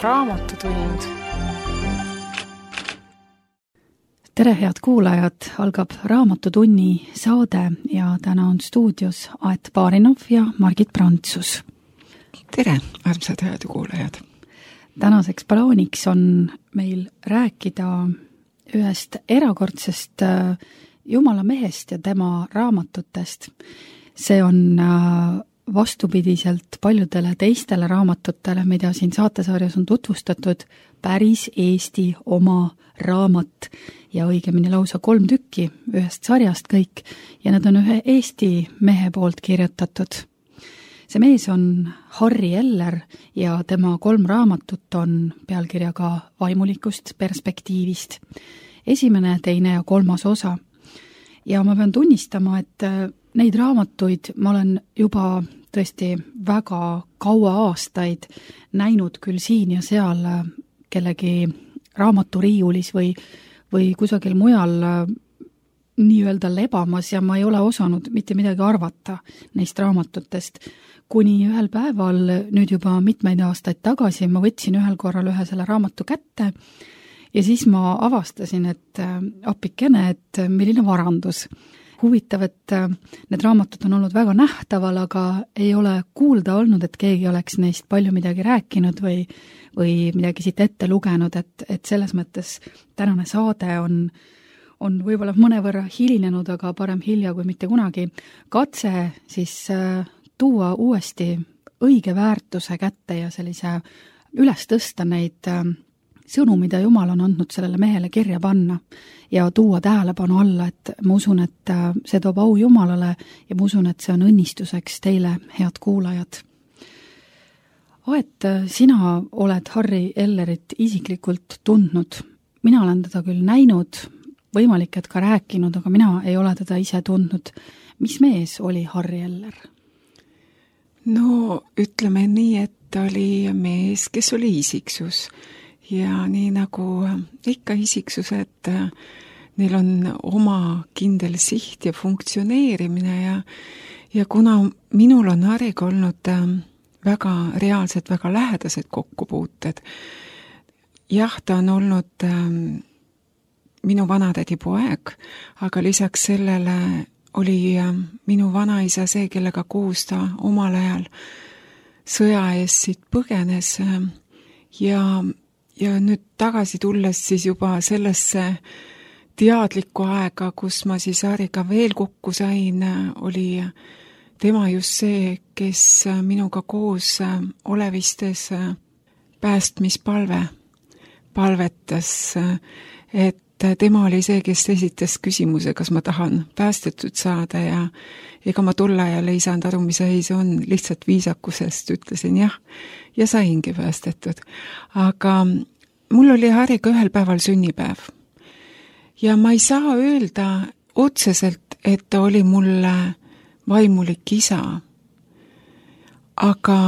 Raamatutund. Tere, head kuulajad! Algab Raamatutunni saade ja täna on stuudios Aet Baarinov ja Margit Prantsus. Tere, armsad raadiokuulajad! Tänaseks plaaniks on meil rääkida ühest erakordsest Jumala mehest ja tema raamatutest. See on vastupidiselt paljudele teistele raamatutele, mida siin saatesarjas on tutvustatud, päris Eesti oma raamat ja õigemini lausa 3 tükki ühest sarjast kõik ja need on ühe Eesti mehe poolt kirjutatud. See mees on Harry Eller ja tema 3 raamatut on pealkirjaga Vaimulikust perspektiivist. 1., 2. ja 3. osa. Ja ma pean tunnistama, et neid raamatuid ma olen juba tõesti väga kaua aastaid näinud küll siin ja seal kellegi raamaturiiulis või kusagil mujal nii-öelda lebamas ja ma ei ole osanud mitte midagi arvata neist raamatutest. Kuni ühel päeval, nüüd juba mitmeid aastaid tagasi, ma võtsin ühel korral ühe selle raamatu kätte ja siis ma avastasin, et appikene, et milline varandus. Huvitav, et need raamatud on olnud väga nähtaval, aga ei ole kuulda olnud, et keegi oleks neist palju midagi rääkinud või midagi siit ette lugenud, et selles mõttes tänane saade on võib-olla mõnevõrra hilinenud, aga parem hilja kui mitte kunagi. Katse siis tuua uuesti õige väärtuse kätte ja sellise üles tõsta neid sõnu, mida Jumal on andnud sellele mehele kirja panna ja tuua tähelepanu alla, et ma usun, et see toob au Jumalale ja ma usun, et see on õnnistuseks teile, head kuulajad. Aet, sina oled Harry Ellerit isiklikult tundnud. Mina olen teda küll näinud, võimalik, et ka rääkinud, aga mina ei ole teda ise tundnud. Mis mees oli Harry Eller? No, ütleme nii, et ta oli mees, kes oli isiksus. Ja nii nagu ikka isiksused, neil on oma kindel siht ja funktsioneerimine ja kuna minul on Harryga olnud väga reaalsed, väga lähedased kokkupuuted, jah, ta on olnud minu vanatädi poeg, aga lisaks sellele oli minu vanaisa see, kellega koos ta omal ajal sõja eest siit põgenes ja nüüd tagasi tulles siis juba sellesse teadlikku aega, kus ma siis Harryga veel kokku sain, oli tema just see, kes minuga koos olevistes päästmispalve palvetas, et tema oli see, kes esitas küsimuse, kas ma tahan päästetud saada ja ega ma tol ajal ei saanud aru, mis asi see on, lihtsalt viisakusest ütlesin jah ja saingi päästetud. Aga mul oli Harryga ühel päeval sünnipäev ja ma ei saa öelda otseselt, et ta oli mulle vaimulik isa, aga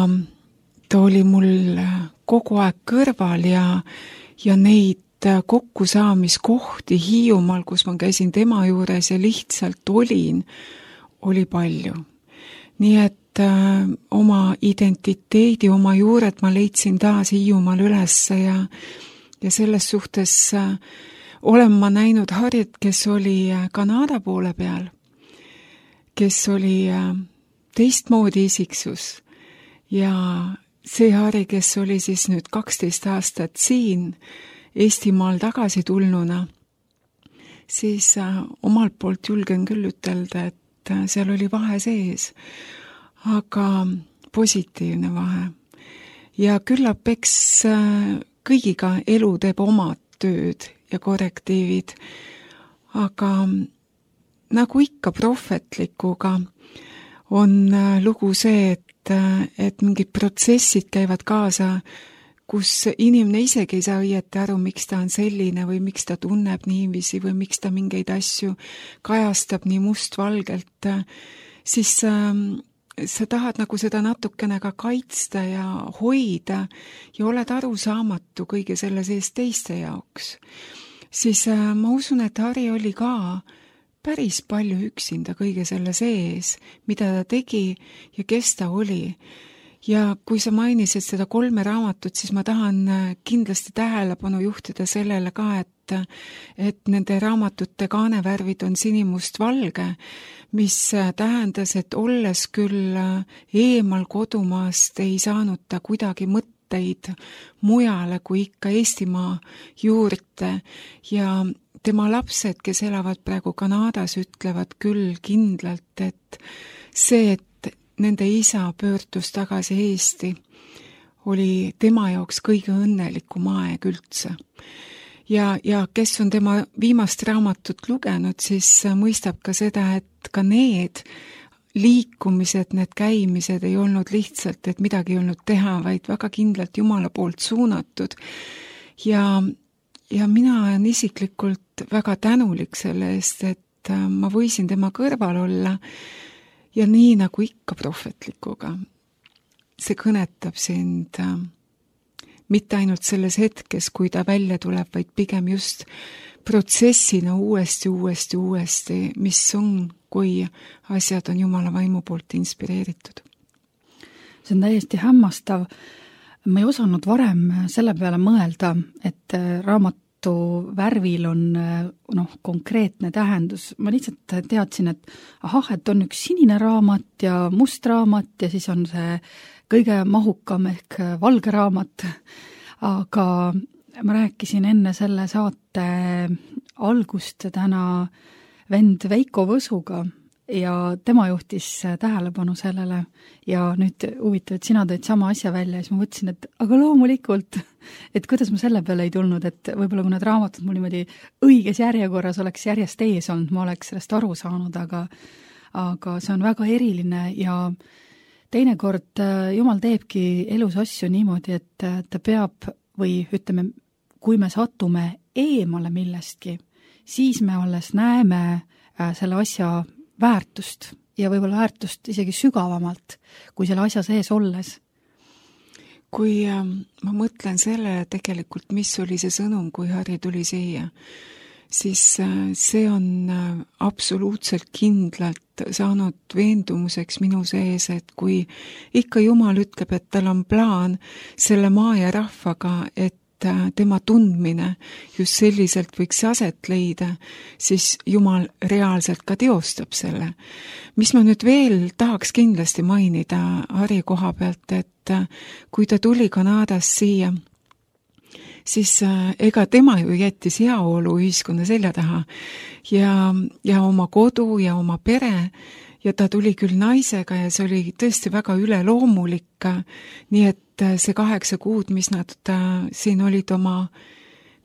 ta oli mul kogu aeg kõrval ja neid kokkusaamiskohti Hiiumaal, kus ma käisin tema juures ja lihtsalt oli palju. Nii et oma identiteedi, oma juured ma leidsin taas Hiiumaal ülesse ja selles suhtes olen ma näinud Harryt, kes oli Kanada poole peal, kes oli teistmoodi isiksus ja see Harry, kes oli siis nüüd 12 aastat siin Eestimaal tagasi tulnuna, siis omalt poolt julgen küll ütelda, et seal oli vahe sees, aga positiivne vahe. Ja küllap eks kõigiga elu teeb omad tööd ja korrektiivid, aga nagu ikka prohvetlikuga on lugu see, et mingid protsessid käivad kaasa, kus inimene isegi ei saa õieti aru, miks ta on selline või miks ta tunneb niiviisi või miks ta mingeid asju kajastab nii mustvalgelt, siis sa tahad nagu seda natukene ka kaitsta ja hoida ja oled arusaamatu kõige selle sees teiste jaoks. Siis ma usun, et Harry oli ka päris palju üksinda kõige selle sees, mida ta tegi ja kes ta oli. Ja kui sa mainisid seda 3 raamatut, siis ma tahan kindlasti tähelepanu juhtida sellele ka, et nende raamatute kaanevärvid on sinimustvalge, mis tähendas, et olles küll eemal kodumaast, ei saanud ta kuidagi mõtteid mujale kui ikka Eestimaa juurde ja tema lapsed, kes elavad praegu Kanadas, ütlevad küll kindlalt, et see, et nende isa pöördus tagasi Eesti, oli tema jaoks kõige õnnelikum aeg üldse. Ja kes on tema viimast raamatut lugenud, siis mõistab ka seda, et ka need liikumised, need käimised ei olnud lihtsalt, et midagi ei olnud teha, vaid väga kindlalt Jumala poolt suunatud. Ja mina olen isiklikult väga tänulik selle eest, et ma võisin tema kõrval olla ja nii nagu ikka prohvetlikuga. See kõnetab sind mitte ainult selles hetkes, kui ta välja tuleb, vaid pigem just protsessina uuesti, mis on, kui asjad on Jumala vaimu poolt inspireeritud. See on täiesti hämmastav. Ma ei osanud varem selle peale mõelda, et raamatu värvil on konkreetne tähendus. Ma lihtsalt teadsin, et et on üks sinine raamat ja must raamat ja siis on see kõige mahukam ehk valge raamat. Aga ma rääkisin enne selle saate algust täna vend Veiko Võsuga ja tema juhtis tähelepanu sellele ja nüüd huvitav, et sina tõid sama asja välja ja siis ma mõtlesin, et aga loomulikult, et kuidas ma selle peale ei tulnud, et võib-olla kui need raamatud mul niimoodi õiges järjekorras oleks järjest ees olnud, ma oleks sellest aru saanud, aga see on väga eriline ja teinekord Jumal teebki elus asju niimoodi, et ta peab või ütleme, kui me satume eemale millestki, siis me alles näeme selle asja väärtust ja võib-olla väärtust isegi sügavamalt kui selle asja sees olles. Kui ma mõtlen sellele tegelikult, mis oli see sõnum, kui Harri tuli siia, siis see on absoluutselt kindlalt saanud veendumuseks minu sees, et kui ikka Jumal ütleb, et tal on plaan selle maa ja rahvaga, et tema tundmine just selliselt võiks aset leida, siis Jumal reaalselt ka teostab selle. Mis ma nüüd veel tahaks kindlasti mainida Harri koha pealt, et kui ta tuli Kanadast siia, siis ega tema ju jättis heaolu ühiskonna selja taha ja oma kodu ja oma pere ja ta tuli küll naisega ja see oli tõesti väga üleloomulik, nii et see 8 kuud, mis nad siin olid oma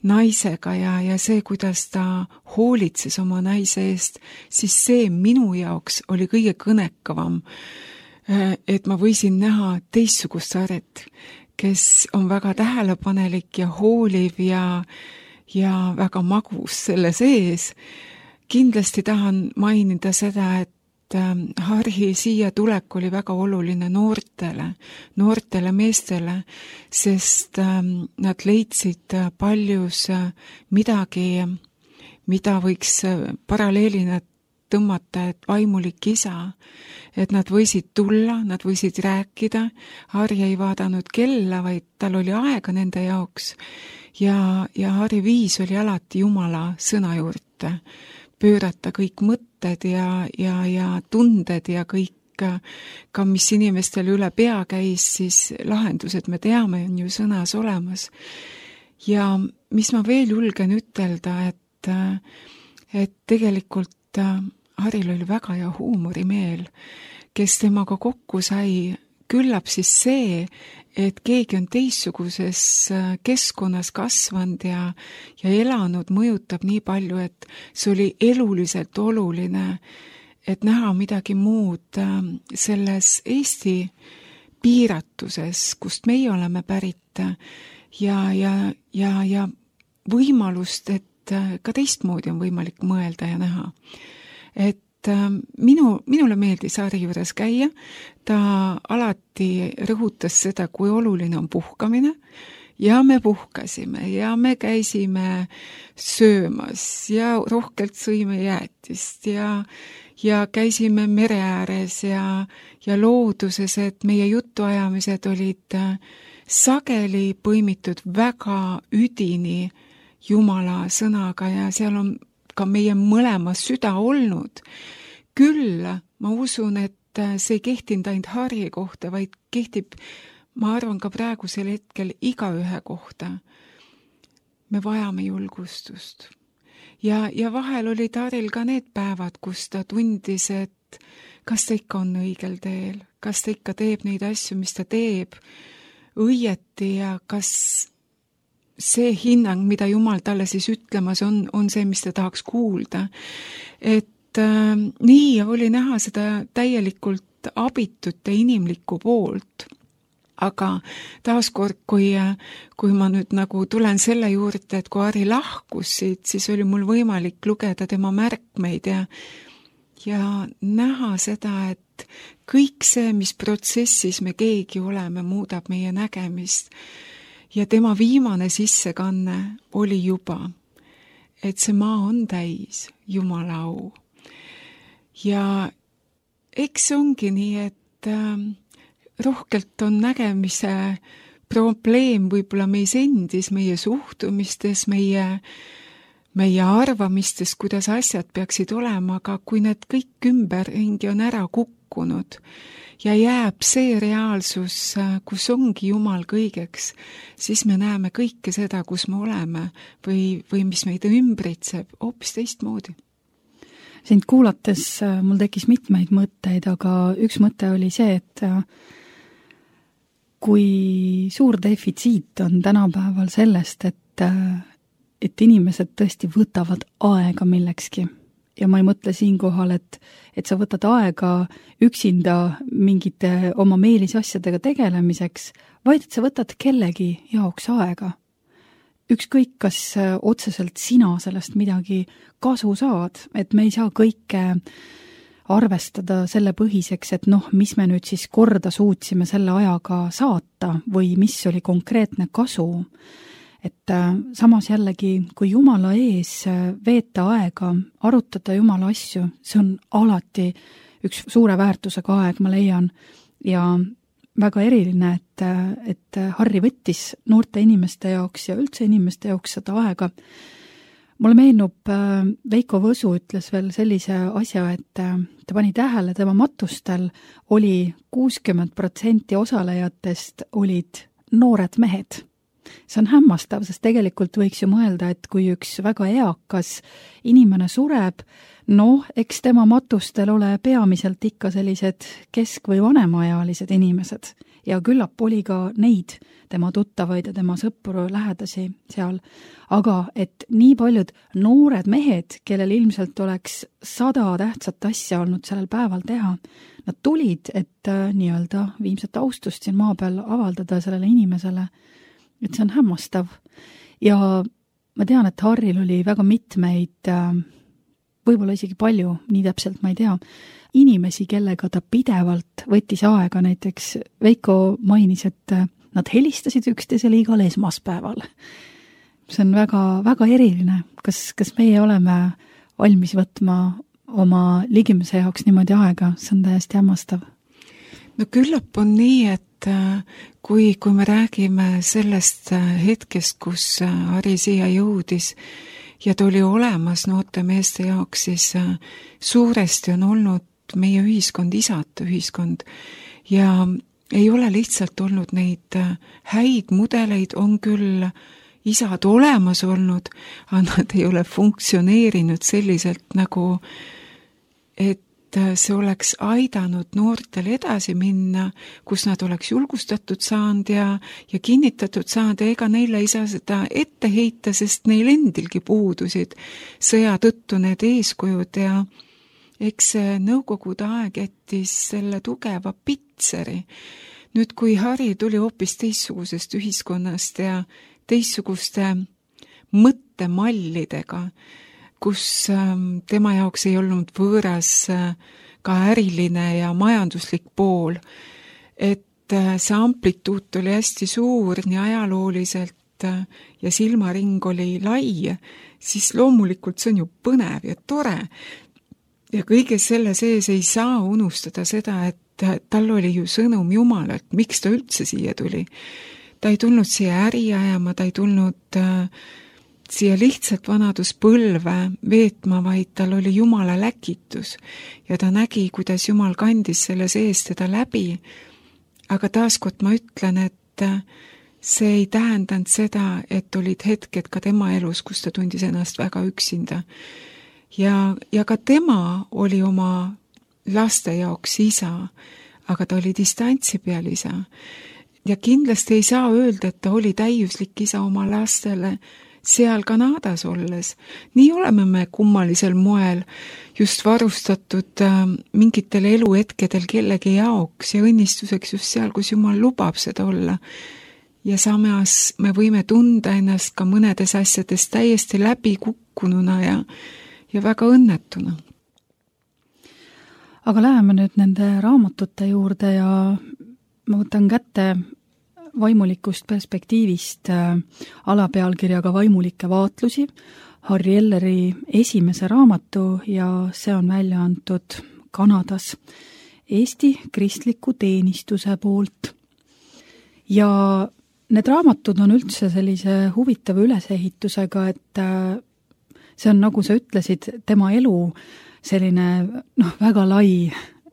naisega ja see, kuidas ta hoolitses oma naise eest, siis see minu jaoks oli kõige kõnekavam, et ma võisin näha teistsugust Harrit, kes on väga tähelepanelik ja hooliv ja väga magus selle sees. Kindlasti tahan mainida seda, et Harri siia tulek oli väga oluline noortele meestele, sest nad leidsid paljus midagi, mida võiks paralleelina tõmmata, et vaimulik isa, et nad võisid tulla, nad võisid rääkida, Harri ei vaadanud kella, vaid tal oli aega nende jaoks ja Harri viis oli alati Jumala sõna juurde, pöörata kõik mõtted ja tunded ja kõik, ka mis inimestel üle pea käis, siis lahendused me teame, on ju sõnas olemas. Ja mis ma veel julgen ütelda, et tegelikult Harril oli väga hea huumorimeel, kes temaga kokku sai, küllap siis see, et keegi on teistsuguses keskkonnas kasvanud ja elanud, mõjutab nii palju, et see oli eluliselt oluline, et näha midagi muud selles Eesti piiratuses, kust meie oleme pärit ja võimalust, et ka teistmoodi on võimalik mõelda ja näha. Et minule meeldis Harri juures käia, ta alati rõhutas seda, kui oluline on puhkamine ja me puhkasime ja me käisime söömas ja rohkelt sõime jäätist ja käisime mere ääres ja looduses, et meie jutuajamised olid sageli põimitud väga üdini Jumala sõnaga ja seal on ka meie mõlema süda olnud. Küll ma usun, et see ei kehtinud ainult Harri kohta, vaid kehtib, ma arvan, ka praegusel hetkel igaühe kohta. Me vajame julgustust. Ja vahel olid Harril ka need päevad, kus ta tundis, et kas ta ikka on õigel teel, kas ta ikka teeb neid asju, mis ta teeb õieti ja kas see hinnang, mida Jumal talle siis ütlemas on see, mis ta tahaks kuulda. Et nii oli näha seda täielikult abitut ja inimlikku poolt. Aga taaskord, kui ma nüüd nagu tulen selle juurde, et kui Harri lahkus siit, siis oli mul võimalik lugeda tema märkmeid ja näha seda, et kõik see, mis protsessis me keegi oleme, muudab meie nägemist. Ja tema viimane sissekanne oli juba, et see maa on täis Jumala au. Ja eks ongi nii, et rohkelt on nägemise probleem võib-olla meis endis, meie suhtumistes, meie arvamistes, kuidas asjad peaksid olema, aga kui need kõik ümberringi on ära kukkunud ja jääb see reaalsus, kus ongi Jumal kõigeks, siis me näeme kõike seda, kus me oleme või mis meid ümbritseb, hoopis teistmoodi. Sind kuulates mul tekkis mitmeid mõtteid, aga üks mõte oli see, et kui suur defitsiit on tänapäeval sellest, et inimesed tõesti võtavad aega millekski. Ja ma ei mõtle siinkohal, et sa võtad aega üksinda mingite oma meelisasjadega tegelemiseks, vaid et sa võtad kellegi jaoks aega. Ükskõik, kas otseselt sina sellest midagi kasu saad, et me ei saa kõike arvestada selle põhiseks, et mis me nüüd siis korda suutsime selle ajaga saata või mis oli konkreetne kasu. Et samas jällegi, kui Jumala ees veeta aega, arutada Jumala asju, see on alati üks suure väärtusega aeg, ma leian, ja väga eriline, et Harri võttis noorte inimeste jaoks ja üldse inimeste jaoks seda aega. Mulle meenub, Veiko Võsu ütles veel sellise asja, et ta pani tähele, tema matustel oli 60% osalejatest olid noored mehed. See on hämmastav, sest tegelikult võiks ju mõelda, et kui üks väga eakas inimene sureb, eks tema matustel ole peamiselt ikka sellised kesk- või vanemaealised inimesed ja küllap oli ka neid tema tuttavaid ja tema sõpru lähedasi seal. Aga et nii paljud noored mehed, kellel ilmselt oleks 100 tähtsat asja olnud sellel päeval teha, nad tulid, et nii-öelda viimset austust siin maa peal avaldada sellele inimesele. Et see on hämmastav. Ja ma tean, et Harril oli väga mitmeid, võib-olla isegi palju, nii täpselt ma ei tea, inimesi, kellega ta pidevalt võttis aega, näiteks Veiko mainis, et nad helistasid üksteisele igal esmaspäeval. See on väga, väga eriline. Kas meie oleme valmis võtma oma ligimise jaoks niimoodi aega? See on täiesti hämmastav. No küllap on nii, et kui me räägime sellest hetkest, kus Harri siia jõudis ja ta oli olemas noorte meeste jaoks, siis suuresti on olnud meie ühiskond isate ühiskond ja ei ole lihtsalt olnud neid häid mudeleid, on küll isad olemas olnud, aga nad ei ole funktsioneerinud selliselt nagu, et see oleks aidanud noortel edasi minna, kus nad oleks julgustatud saanud ja kinnitatud saanud ja ega neile ei saa seda ette heita, sest neil endilgi puudusid sõja tõttu need eeskujud ja eks nõukogude aeg jättis selle tugeva pitseri. Nüüd, kui Harri tuli hoopis teistsugusest ühiskonnast ja teistsuguste mõttemallidega, kus tema jaoks ei olnud võõras ka äriline ja majanduslik pool, et see amplituut oli hästi suur nii ajalooliselt ja silmaring oli lai, siis loomulikult see on ju põnev ja tore. Ja kõige selle sees ei saa unustada seda, et tal oli ju sõnum Jumalalt, miks ta üldse siia tuli. Ta ei tulnud siia äri ajama, ta ei tulnud siia lihtsalt vanaduspõlve veetma, vaid tal oli Jumala läkitus ja ta nägi, kuidas Jumal kandis selle sees teda läbi. Aga taaskord ma ütlen, et see ei tähendanud seda, et olid hetked ka tema elus, kus ta tundis ennast väga üksinda. Ja ka tema oli oma laste jaoks isa, aga ta oli distantsi peal isa. Ja kindlasti ei saa öelda, et ta oli täiuslik isa oma lastele seal Kanadas olles. Nii oleme me kummalisel moel just varustatud mingitel eluhetkedel kellegi jaoks ja õnnistuseks just seal, kus Jumal lubab seda olla. Ja samas me võime tunda ennast ka mõnedes asjades täiesti läbi kukkununa ja väga õnnetuna. Aga läheme nüüd nende raamatute juurde ja ma võtan kätte vaimulikust perspektiivist alapealkirjaga Vaimulikke vaatlusi, Harry Elleri esimese raamatu ja see on välja antud Kanadas Eesti Kristliku Teenistuse poolt. Ja need raamatud on üldse sellise huvitava ülesehitusega, et see on, nagu sa ütlesid, tema elu selline väga lai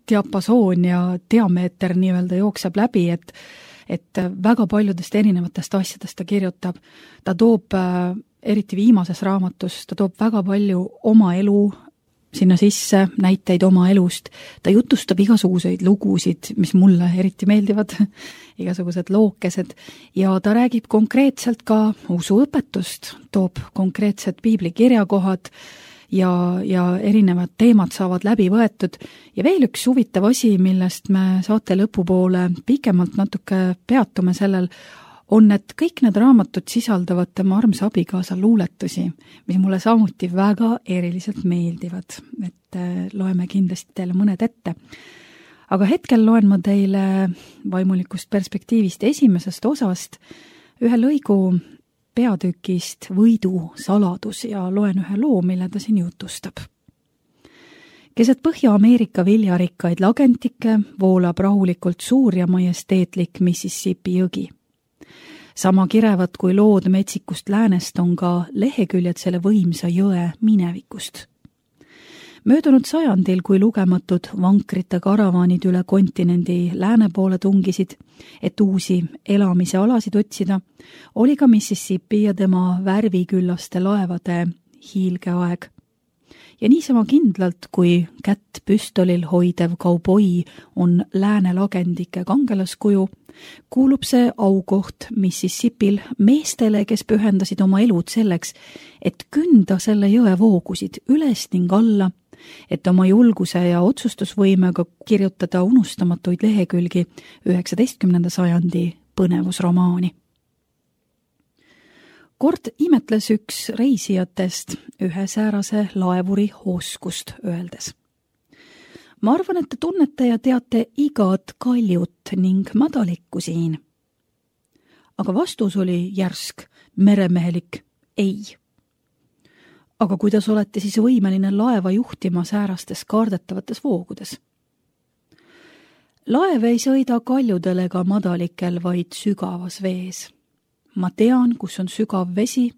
diapasoon ja diameeter nii-öelda jookseb läbi, et väga paljudest erinevatest asjadest ta kirjutab. Ta toob, eriti viimases raamatus, ta toob väga palju oma elu sinna sisse, näiteid oma elust. Ta jutustab igasuguseid lugusid, mis mulle eriti meeldivad, igasugused lookesed, ja ta räägib konkreetselt ka usuõpetust, toob konkreetsed piibli kirjakohad ja erinevad teemad saavad läbi võetud. Ja veel üks huvitav asi, millest me saate lõpupoole pikemalt natuke peatume sellel, on, et kõik need raamatud sisaldavad tema armsa abikaasa luuletusi, mis mulle samuti väga eriliselt meeldivad, et loeme kindlasti teile mõned ette. Aga hetkel loen ma teile vaimulikust perspektiivist esimesest osast ühe lõigu peatükist Võidu saladus ja loen ühe loo, mille ta siin jutustab. Keset Põhja-Ameerika viljarikkaid lagentikke voolab rahulikult suur ja majesteetlik Mississippi jõgi. Sama kirevad kui lood metsikust läänest on ka leheküljed selle võimsa jõe minevikust. Möödunud sajandil, kui lugematud vankrite karavaanid üle kontinendi lääne poole tungisid, et uusi elamise alasid otsida, oli ka Mississippi ja tema värviküllaste laevade hiilgeaeg. Ja niisama kindlalt, kui kätt püstolil hoidev kauboi on lääne lagendike kangelaskuju, kuulub see aukoht Mississippil meestele, kes pühendasid oma elud selleks, et künda selle jõe voogusid üles ning alla, et oma julguse ja otsustusvõimega kirjutada unustamatuid lehekülgi 19. sajandi põnevusromaani. Kord imetles üks reisijatest ühe säärase laevuri oskust öeldes. Ma arvan, et te tunnete ja teate igat kaljut ning madalikku siin. Aga vastus oli järsk, meremehelik ei. Aga kuidas olete siis võimeline laeva juhtima säärastes kaardetavates voogudes? Laev ei sõida kaljudel ega madalikel, vaid sügavas vees. Ma tean, kus on sügav vesi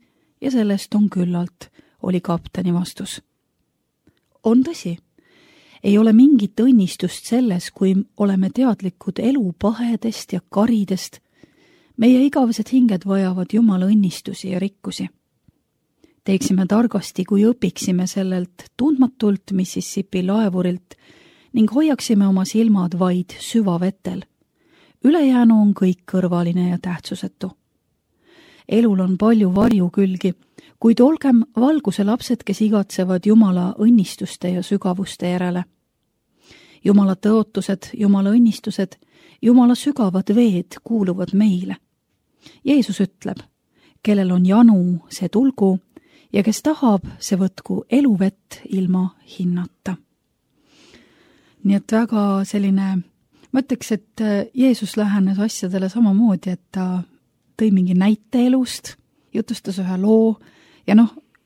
ja sellest on küllalt, oli kapteni vastus. On tõsi. Ei ole mingit õnnistust selles, kui oleme teadlikud elu pahedest ja karidest. Meie igavesed hinged vajavad Jumala õnnistusi ja rikkusi. Teeksime targasti, kui õpiksime sellelt tundmatult Mississippi laevurilt ning hoiaksime oma silmad vaid süvavetel. Ülejäänu on kõik kõrvaline ja tähtsusetu. Elul on palju varjukülgi, kuid olgem valguse lapsed, kes igatsevad Jumala õnnistuste ja sügavuste järele. Jumala tõotused, Jumala õnnistused, Jumala sügavad veed kuuluvad meile. Jeesus ütleb, kellel on janu, see tulgu, ja kes tahab, see võtku eluvett ilma hinnata. Nii et väga selline Ma ütleks, et Jeesus lähenes asjadele samamoodi, et ta tõi mingi näite elust, jutustas ühe loo ja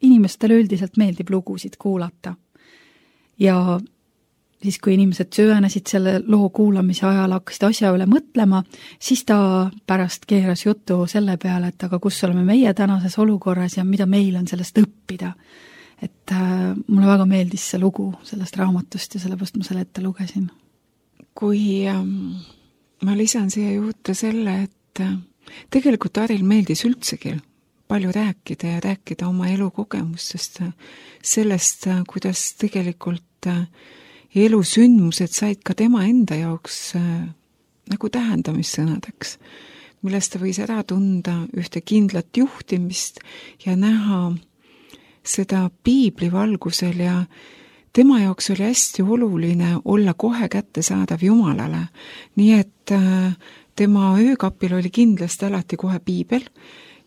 inimestele üldiselt meeldib lugusid kuulata. Ja siis, kui inimesed süvenesid selle loo kuulamise ajal, hakkasid asja üle mõtlema, siis ta pärast keeras jutu selle peale, et aga kus oleme meie tänases olukorras ja mida meil on sellest õppida. Et mulle väga meeldis see lugu sellest raamatust ja sellepärast ma selle ette lugesin. Kui ma lisan siia juurde selle, et tegelikult Aril meeldis üldsegi palju rääkida ja rääkida oma elukogemustest, sellest, kuidas tegelikult elusündmused said ka tema enda jaoks nagu tähendamissõnadeks, millest ta võis ära tunda ühte kindlat juhtimist ja näha seda piibli valgusel ja tema jaoks oli hästi oluline olla kohe kättesaadav Jumalale. Nii et tema öökapil oli kindlasti alati kohe piibel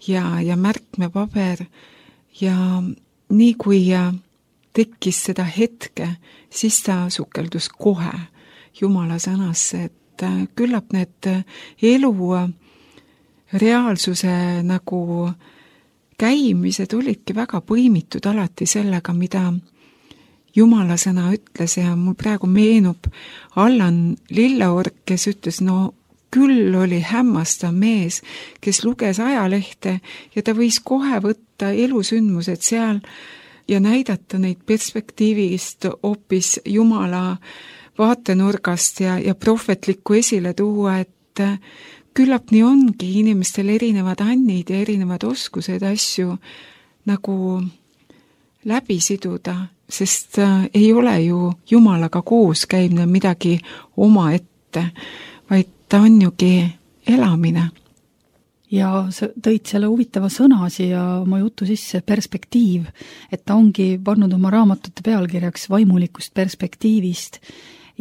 ja märkmepaber ja nii kui tekkis seda hetke, siis ta sukeldus kohe Jumala sõnasse, et küllap need elu reaalsuse nagu käimised olidki väga põimitud alati sellega, mida Jumala sõna ütles ja mul praegu meenub Allan Lilleorg, kes ütles, küll oli hämmastav mees, kes luges ajalehte ja ta võis kohe võtta elusündmused seal ja näidata neid perspektiivist hoopis Jumala vaatenurgast ja prohvetlikku esile tuua, et küllap nii ongi inimestel erinevad annid ja erinevad oskused asju nagu läbi siduda, sest ei ole ju Jumalaga koos käimine midagi omaette, vaid ta on jugi elamine. Ja sa tõid selle huvitava sõna siia oma jutu sisse, perspektiiv, et ta ongi pannud oma raamatute pealkirjaks vaimulikust perspektiivist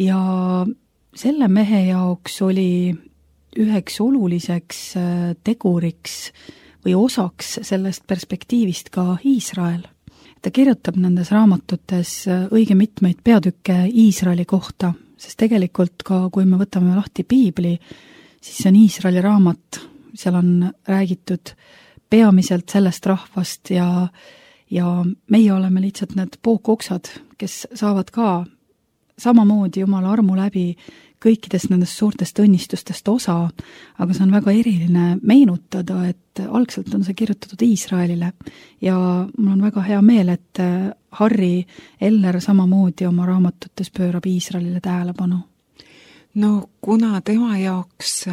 ja selle mehe jaoks oli üheks oluliseks teguriks või osaks sellest perspektiivist ka Iisrael. Ta kirjutab nendes raamatutes õige mitmeid peatükke Iisraeli kohta, sest tegelikult ka, kui me võtame lahti piibli, siis see on Iisraeli raamat, seal on räägitud peamiselt sellest rahvast ja meie oleme lihtsalt need pookoksad, kes saavad ka samamoodi Jumala armu läbi kõikidest nendest suurtest õnnistustest osa, aga see on väga eriline meenutada, et algselt on see kirjutatud Iisraelile ja mul on väga hea meel, et Harri Eller samamoodi oma raamatutes pöörab Iisraelile tähelepanu. Kuna tema jaoks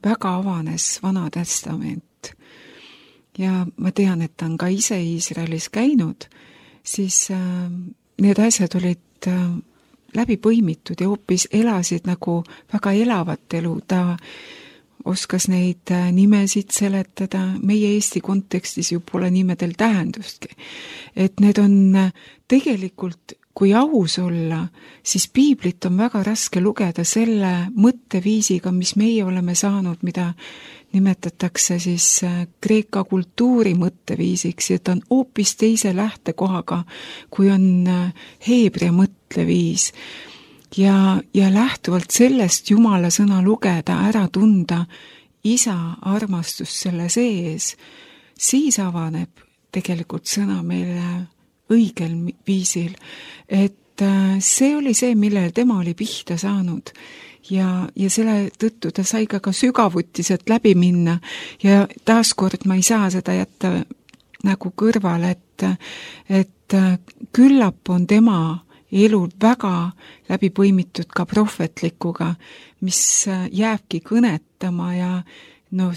väga avanes Vana Testament ja ma tean, et ta on ka ise Iisraelis käinud, siis need asjad olid läbi põimitud ja hoopis elasid nagu väga elavat elu. Ta oskas neid nimesid seletada, meie Eesti kontekstis ju pole nimedel tähendustki. Et need on tegelikult, kui aus olla, siis piiblit on väga raske lugeda selle mõtteviisiga, mis meie oleme saanud, mida nimetatakse siis kreeka kultuuri mõtteviisiks, ja ta on hoopis teise lähtekohaga, kui on heebrea mõtteviis. Ja lähtuvalt sellest Jumala sõna lugeda, ära tunda isa armastus selle sees, siis avaneb tegelikult sõna meile õigel viisil. Et see oli see, millele tema oli pihta saanud. Ja selle tõttu ta sai ka sügavuti sealt läbi minna ja taaskord ma ei saa seda jätta nagu kõrvale, et küllap on tema elul väga läbi põimitud ka prohvetlikuga, mis jääbki kõnetama ja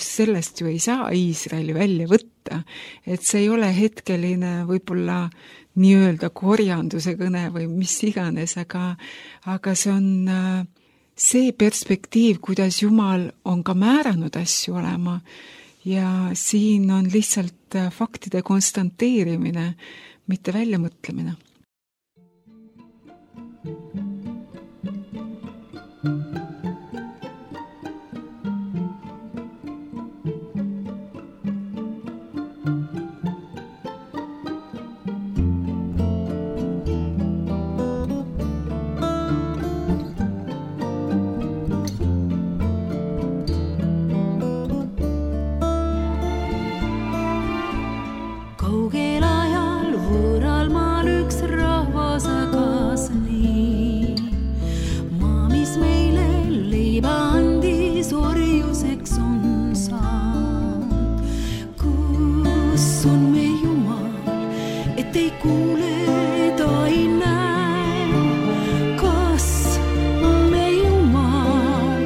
sellest ju ei saa Iisraeli välja võtta, et see ei ole hetkeline võib-olla nii-öelda korjanduse kõne või mis iganes, aga see on see perspektiiv, kuidas Jumal on ka määranud asju olema ja siin on lihtsalt faktide konstanteerimine, mitte väljamõtlemine. et ei kuule, ta ei näe, kas me Jumal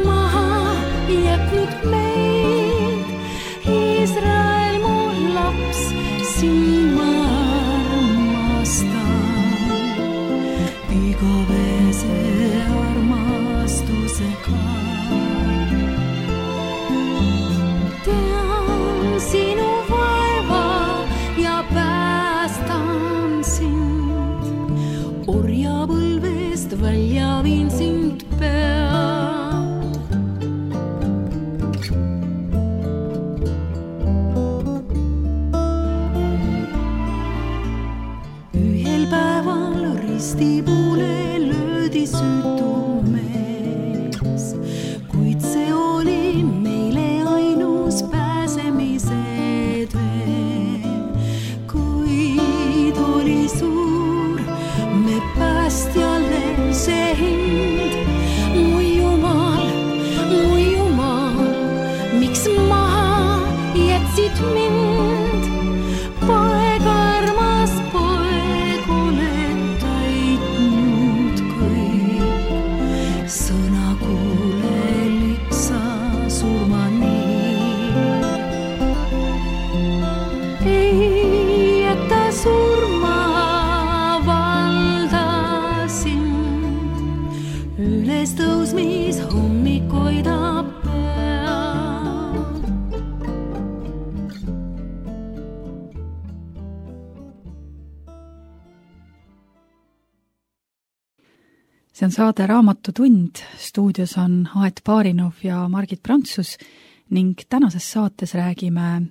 maha jätnud meid. Iisrael, mu laps, sind ma armastan igavese armastusega. Tean sinu vaeva ja päästan sind, orjapõlvest välja viin sind pea. Ühel päeval ristipuule löödi süütu mees, kuid see oli meile ainus pääsemise tee. Kuid oli suur me päästjale see hind. Mu Jumal, miks maha jätsid mind? Poeg, armas poeg, oled täitnud kõik. Sõna kuulelik sa surmani. Ei jäta surma valda sind, üles tõusmis hommik hoidab pea. See on saade Raamatutund, stuudios on Aet Baarinov ja Margit Prantsus ning tänases saates räägime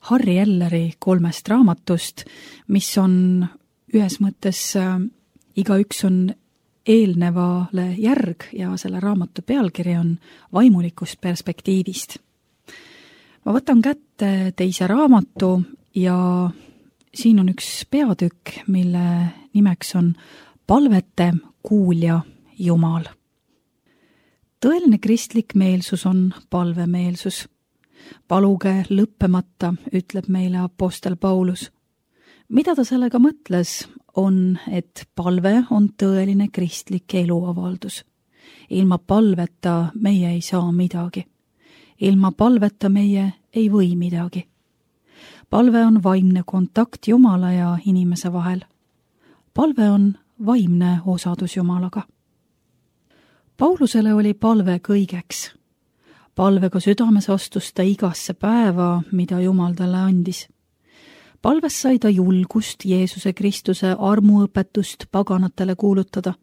Harry Elleri 3 raamatust, mis on ühes mõttes igaüks on eelnevale järg ja selle raamatu pealkiri on Vaimulikust perspektiivist. Ma võtan kätte teise raamatu ja siin on üks peatükk, mille nimeks on Palvete kuulja Jumal. Tõeline kristlik meelsus on palvemeelsus. Paluge lõppemata, ütleb meile apostel Paulus. Mida ta sellega mõtles, on, et palve on tõeline kristlik eluavaldus. Ilma palveta meie ei saa midagi. Ilma palveta meie ei või midagi. Palve on vaimne kontakt Jumala ja inimese vahel. Palve on vaimne osadus Jumalaga. Paulusele oli palve kõigeks. Palvega südames astus ta igasse päeva, mida Jumal talle andis. Palves sai ta julgust Jeesuse Kristuse armuõpetust paganatele kuulutada.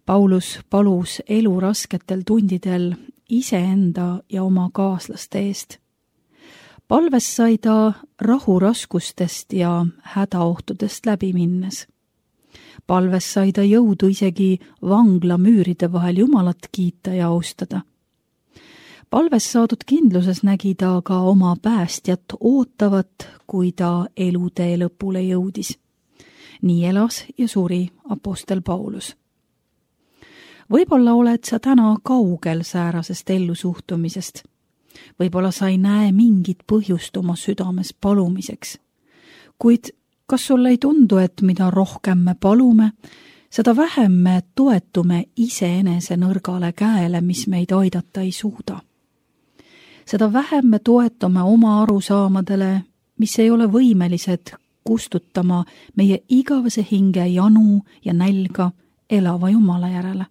Paulus palus elu rasketel tundidel iseenda ja oma kaaslaste eest. Palves sai ta rahu raskustest ja hädaohtudest läbi minnes. Palves sai ta jõudu isegi vangla müüride vahel Jumalat kiita ja austada. Palves saadud kindluses nägi ta ka oma päästjat ootavat, kui ta elutee lõpule jõudis. Nii elas ja suri apostel Paulus. Võib-olla oled sa täna kaugel säärasest ellusuhtumisest. Võib-olla sa ei näe mingit põhjust oma südames palumiseks. Kuid kas sulle ei tundu, et mida rohkem me palume, seda vähem me toetume iseenese nõrgale käele, mis meid aidata ei suuda? Seda vähem me toetume oma arusaamadele, mis ei ole võimelised kustutama meie igavese hinge janu ja nälga elava Jumala järele.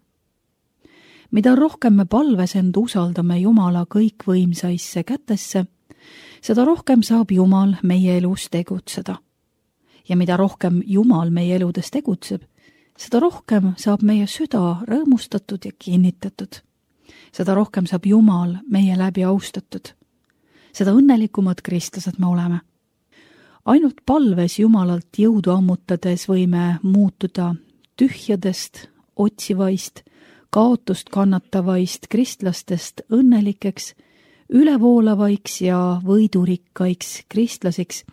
Mida rohkem me palves end usaldame Jumala kõikvõimsaisse kätesse, seda rohkem saab Jumal meie elus tegutseda. Ja mida rohkem Jumal meie eludes tegutseb, seda rohkem saab meie süda rõõmustatud ja kinnitatud. Seda rohkem saab Jumal meie läbi austatud. Seda õnnelikumad kristlased me oleme. Ainult palves Jumalalt jõudu ammutades võime muutuda tühjadest, otsivaist, kaotust kannatavaist kristlastest õnnelikeks, ülevoolavaiksi ja võidurikkaiks kristlasiks,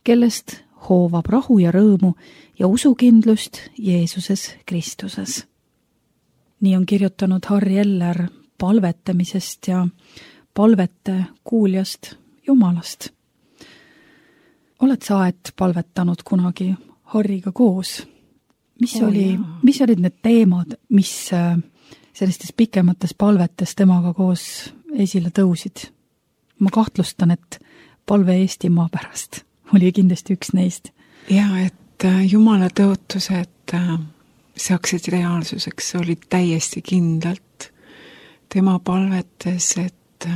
kellest hoovab rahu ja rõõmu ja usukindlust Jeesuses Kristuses. Nii on kirjutanud Harry Eller palvetamisest ja palvete kuuljast Jumalast. oled sa aed palvetanud kunagi Harriga koos? Mis olid need teemad, mis sellistes pikemates palvetes temaga koos esile tõusid? Ma kahtlustan, et palve Eestimaa pärast oli kindlasti üks neist. Ja, et Jumala tõotused saaksid reaalsuseks, olid täiesti kindlalt tema palvetes, et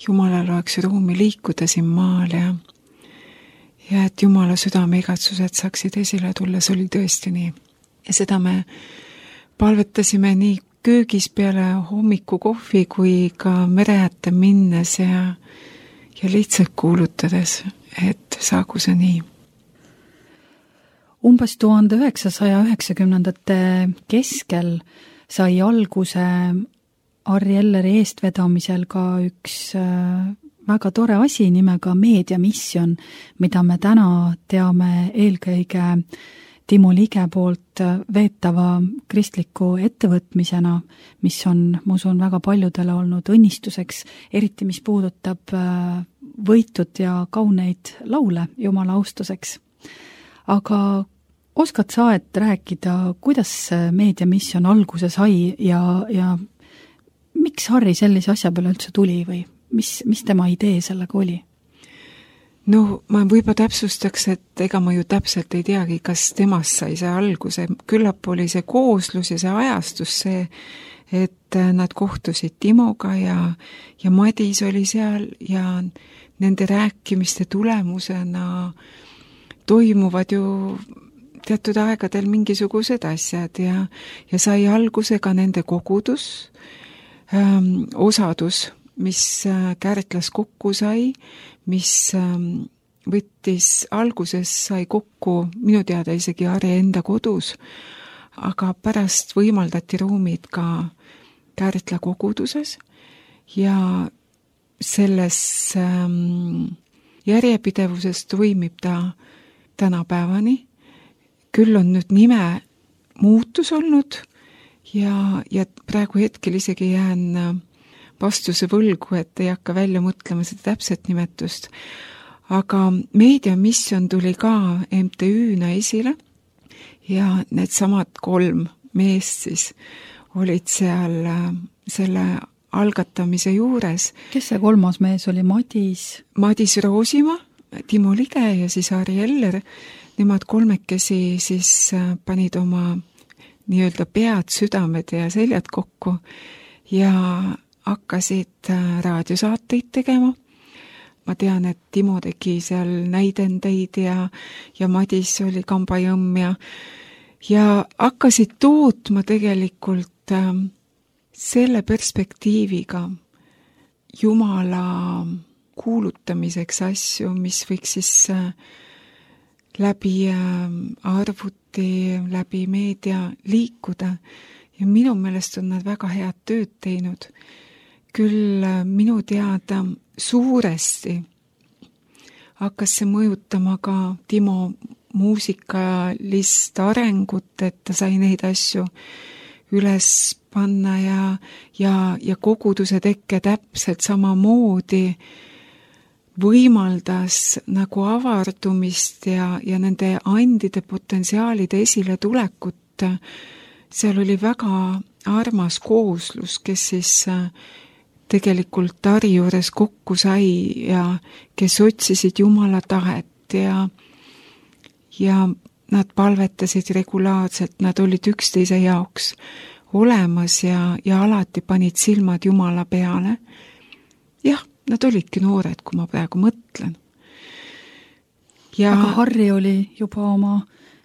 Jumalal oleks ruumi liikuda siin maal ja et Jumala südame igatsused saaksid esile tulla, see oli tõesti nii. Ja seda me palvetasime nii köögis peale hommikukohvi kui ka mere äärde minnes ja lihtsalt kuulutades, et saagu see nii. Umbes 1990-ndate keskel sai alguse Harri Elleri eestvedamisel ka üks väga tore asi nimega meediamisjon, mida me täna teame eelkõige Timo Lige poolt veetava kristliku ettevõtmisena, mis on, ma usun, väga paljudele olnud õnnistuseks, eriti mis puudutab võitud ja kauneid laule Jumala austuseks. Aga oskad sa rääkida, kuidas meediamisjon alguse sai ja miks Harri sellise asja peale üldse tuli või mis tema idee sellega oli? No, ma võib-olla täpsustaks, et ega ma ju täpselt ei teagi, kas temast sai see alguse. Küllap oli see kooslus ja see ajastus see, et nad kohtusid Timoga ja Madis oli seal ja nende rääkimiste tulemusena toimuvad ju teatud aegadel mingisugused asjad ja sai alguse ka nende kogudus, osadus, mis Kärdlas kokku sai, mis võttis alguses, sai kokku minu teada isegi Harri enda kodus, aga pärast võimaldati ruumid ka Kärdla koguduses ja selles järjepidevuses toimib ta tänapäevani. Küll on nüüd nime muutus olnud ja praegu hetkel isegi jään vastuse võlgu, et ei hakka välja mõtlema seda täpset nimetust. Aga meediamisjon tuli ka MTÜ-na esile ja need samad 3 meest siis olid seal selle algatamise juures. Kes see 3. mees oli? Madis Roosimaa, Timo Lige ja siis Harri Eller. Nemad 3 siis panid oma nii-öelda pead, südamed ja seljad kokku ja hakkasid raadiosaateid tegema. Ma tean, et Timo tegi seal näidendeid ja Madis oli kambajõmm ja hakkasid tootma tegelikult selle perspektiiviga Jumala kuulutamiseks asju, mis võiks siis läbi arvuti, läbi meedia liikuda ja minu meelest on nad väga head tööd teinud. Küll minu teada suuresti hakkas see mõjutama ka Timo muusikalist arengut, et ta sai neid asju üles panna ja koguduse tekke täpselt samamoodi võimaldas nagu avardumist ja nende andide potentsiaalide esile tulekut. Seal oli väga armas kooslus, kes siis tegelikult Harri juures kokku sai ja kes otsisid Jumala tahet ja nad palvetasid regulaarselt, nad olid üksteise jaoks olemas ja alati panid silmad Jumala peale. Jah, nad olidki noored, kui ma praegu mõtlen. Aga Harri oli juba oma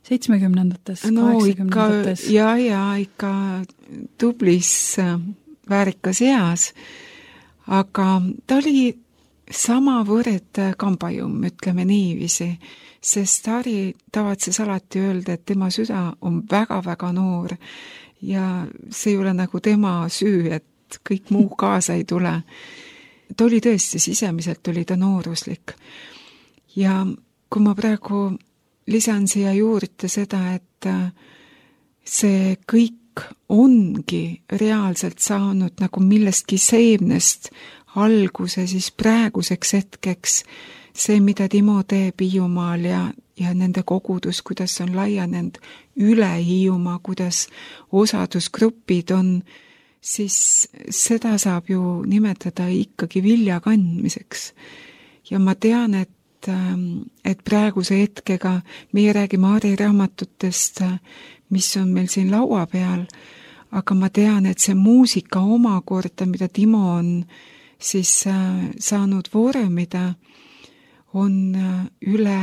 70-ndates, 80-ndates. Ja ikka tublis väärikas eas, aga ta oli samavõrd kambajõmm, ütleme niiviisi, sest Harri tavatses alati öelda, et tema süda on väga-väga noor ja see ei ole nagu tema süü, et kõik muu kaasa ei tule. Ta oli tõesti, sisemiselt oli ta nooruslik. Ja kui ma praegu lisan siia juurde seda, et see kõik ongi reaalselt saanud nagu millestki seemnest alguse siis praeguseks hetkeks, see, mida Timo teeb Hiiumaal ja nende kogudus, kuidas on laienenud üle Hiiumaa, kuidas osadusgrupid on, siis seda saab ju nimetada ikkagi vilja kandmiseks. Ja ma tean, et praeguse hetkega meie räägime Aari raamatutest, mis on meil siin laua peal, aga ma tean, et see muusika omakorda, mida Timo on siis saanud vormida, on üle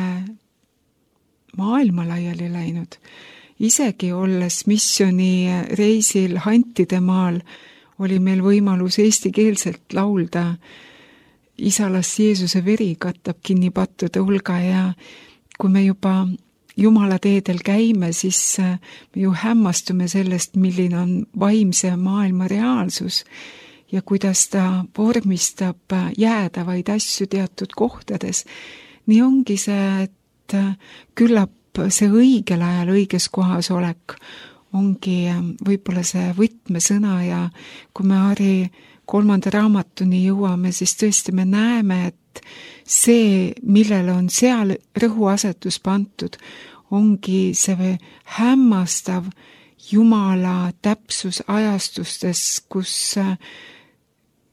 maailma laiali läinud. Isegi olles missioonireisil Hantidemaal oli meil võimalus eestikeelselt laulda Isa las Jeesuse veri katab kinni pattude hulga ja kui me juba Jumala teedel käime, siis me ju hämmastume sellest, milline on vaimse maailma reaalsus ja kuidas ta vormistab jäädavaid asju teatud kohtades. Nii ongi see, et küllap see õigel ajal õiges kohas olek ongi võib-olla see võtmesõna ja kui me Aari 3. raamatuni jõuame, siis tõesti me näeme, et see, millele on seal rõhuasetus pandud, ongi see hämmastav Jumala täpsus ajastustes, kus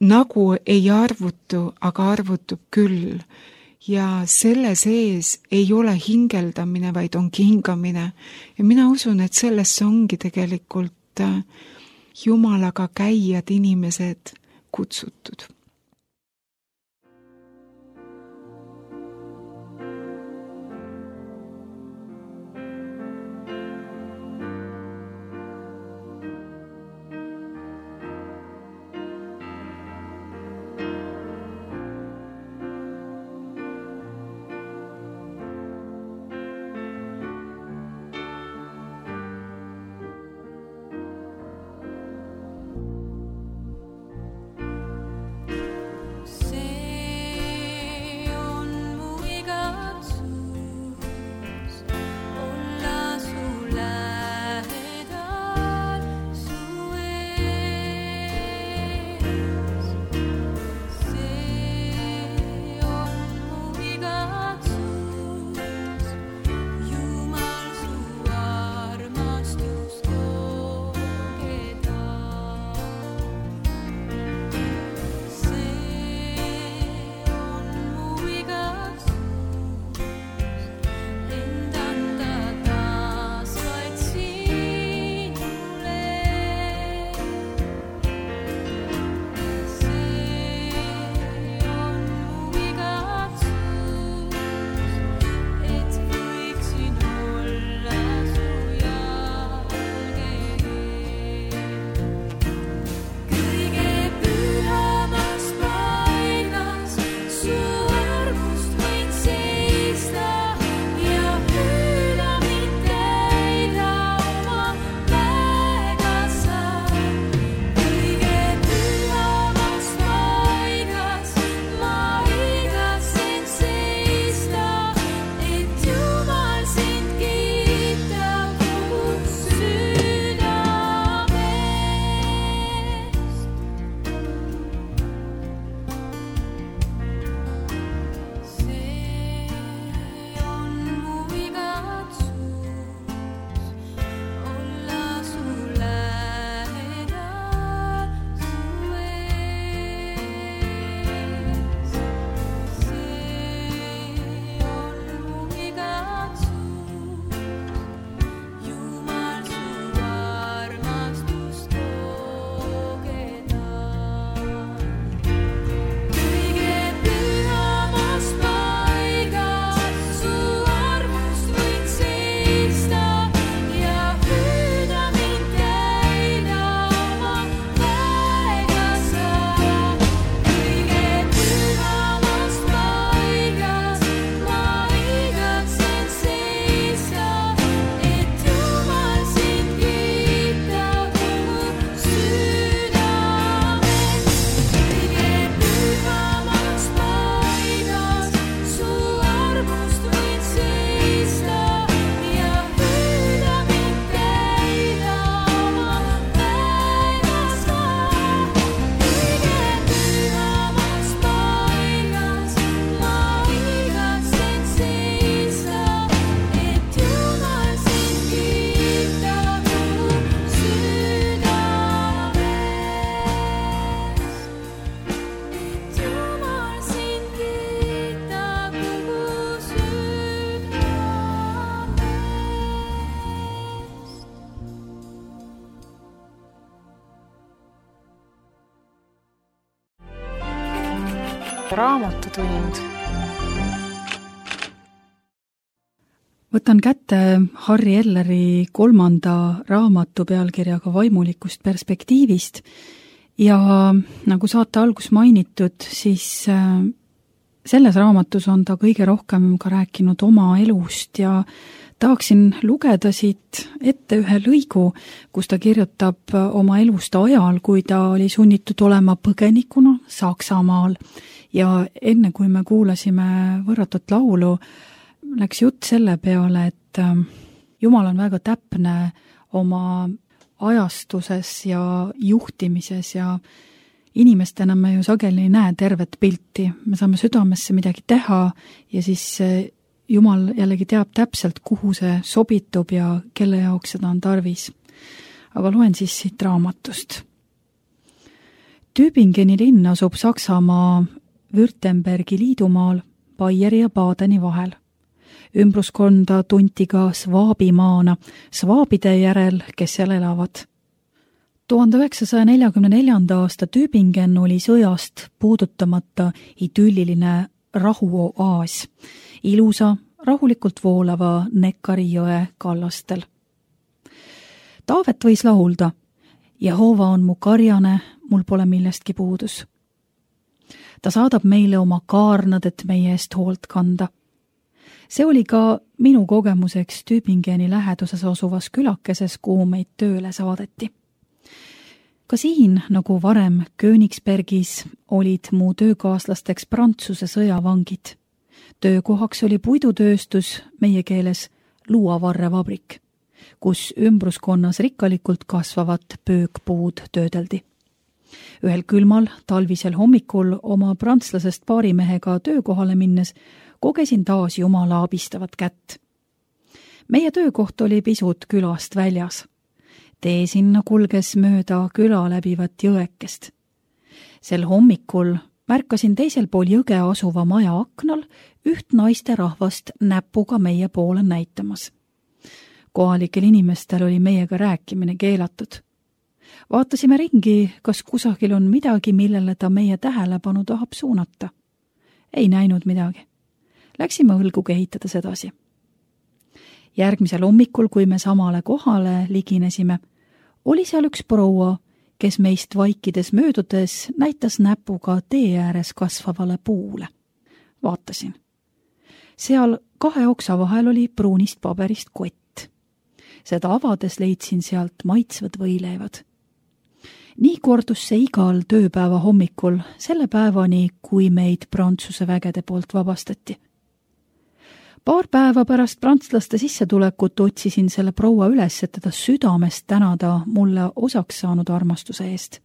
nagu ei arvutu, aga arvutub küll. Ja selle sees ei ole hingeldamine, vaid ongi hingamine. Ja mina usun, et sellesse ongi tegelikult Jumalaga käijad inimesed kutsutud. raamatutund. Võtan kätte Harri Elleri 3. raamatu pealkirjaga Vaimulikust perspektiivist ja nagu saate algus mainitud, siis selles raamatus on ta kõige rohkem ka rääkinud oma elust ja tahaksin lugeda siit ette ühe lõigu, kus ta kirjutab oma elust ajal, kui ta oli sunnitud olema põgenikuna Saksamaal ja enne kui me kuulasime võrratut laulu, läks jutt selle peale, et Jumal on väga täpne oma ajastuses ja juhtimises ja inimestena me ju sageli ei näe tervet pilti. Me saame südamesse midagi teha ja siis Jumal jällegi teab täpselt, kuhu see sobitub ja kelle jaoks seda on tarvis. Aga loen siis siit raamatust. Tübingeni linn asub Saksamaa Württembergi liidumaal Baieri ja Badeni vahel. Ümbruskonda tunti ka Svaabimaana, svaabide järel, kes seal elavad. 1944. aasta Tübingen oli sõjast puudutamata idülliline rahuoaas, ilusa, rahulikult voolava Neckari jõe kallastel. Taavet võis laulda, Jehova on mu karjane, mul pole millestki puudus. Ta saadab meile oma kaarnad, et meie eest hoolt kanda. See oli ka minu kogemuseks Tübingeni läheduses asuvas külakeses, kuhu meid tööle saadeti. Ka siin, nagu varem Königsbergis, olid mu töökaaslasteks Prantsuse sõjavangid. Töökohaks oli puidutööstus, meie keeles luuavarrevabrik, kus ümbruskonnas rikkalikult kasvavat pöökpuud töödeldi. Ühel külmal talvisel hommikul oma prantslasest paarimehega töökohale minnes kogesin taas Jumala abistavat kätt. Meie töökoht oli pisut külast väljas. Tee sinna kulges mööda küla läbivat jõekest. Sel hommikul märkasin teisel pool jõge asuva maja aknal üht naiste rahvast näpuga meie poole näitamas. Kohalikel inimestel oli meiega rääkimine keelatud. Vaatasime ringi, kas kusagil on midagi, millele ta meie tähelepanu tahab suunata. Ei näinud midagi. Läksime õlgu kehitades edasi. Järgmisel hommikul, kui me samale kohale liginesime, oli seal üks proua, kes meist vaikides möödudes näitas näpuga tee ääres kasvavale puule. Vaatasin. Seal 2 oksa vahel oli pruunist paberist kott. Seda avades leidsin sealt maitsvad võileivad. Nii kordus see igal tööpäeva hommikul, selle päevani, kui meid Prantsuse vägede poolt vabastati. Paar päeva pärast prantslaste sissetulekut otsisin selle proua üles, et teda südamest tänada mulle osaks saanud armastuse eest.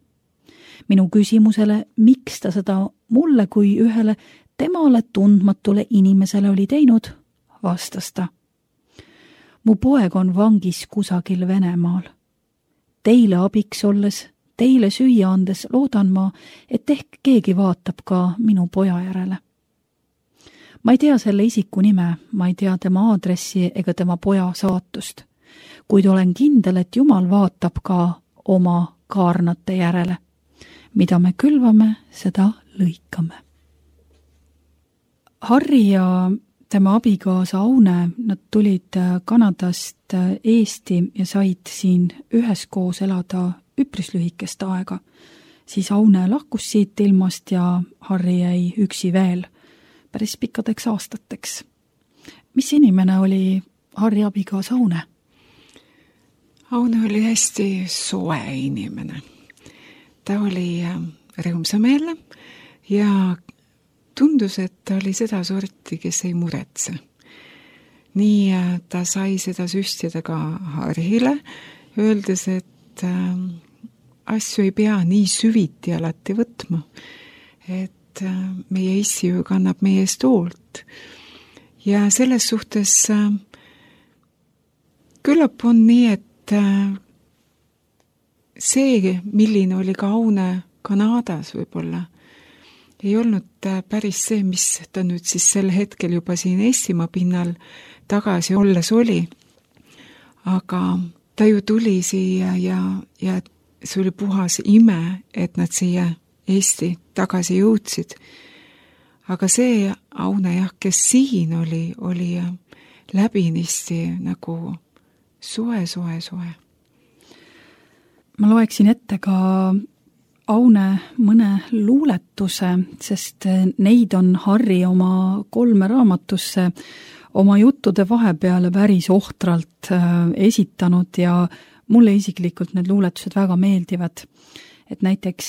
Minu küsimusele, miks ta seda mulle kui ühele temale tundmatule inimesele oli teinud, vastas ta. Mu poeg on vangis kusagil Venemaal. Teile abiks olles, teile süüa andes loodan ma, et ehk keegi vaatab ka minu poja järele. Ma ei tea selle isiku nime, ma ei tea tema aadressi ega tema poja saatust, kuid olen kindel, et Jumal vaatab ka oma kaarnate järele. Mida me külvame, seda lõikame. Harri ja tema abikaasa Aune, nad tulid Kanadast Eesti ja said siin üheskoos elada üpris lühikest aega. Siis Aune lahkus siit ilmast ja Harri jäi üksi veel päris pikkadeks aastateks. Mis inimene oli Harri abikaasa Aune? Aune oli hästi soe inimene. Ta oli rõõmsameelne ja tundus, et ta oli seda sorti, kes ei muretse. Nii ta sai seda süstida ka Harrile, öeldes, et asju ei pea nii süviti alati võtma, et meie issi ju kannab meie eest hoolt. Ja selles suhtes küllap on nii, et see, milline oli ka Aune Kanadas võib-olla, ei olnud päris see, mis ta nüüd siis sel hetkel juba siin Eestimaa pinnal tagasi olles oli. Aga ta ju tuli siia ja see oli puhas ime, et nad siia Eesti tagasi jõudsid. aga see Aune jah, kes siin oli läbinisti nagu soe. Ma loeksin ette ka Aune mõne luuletuse, sest neid on Harri oma 3 raamatusse oma juttude vahepeale päris ohtralt esitanud ja mulle isiklikult need luuletused väga meeldivad. Et näiteks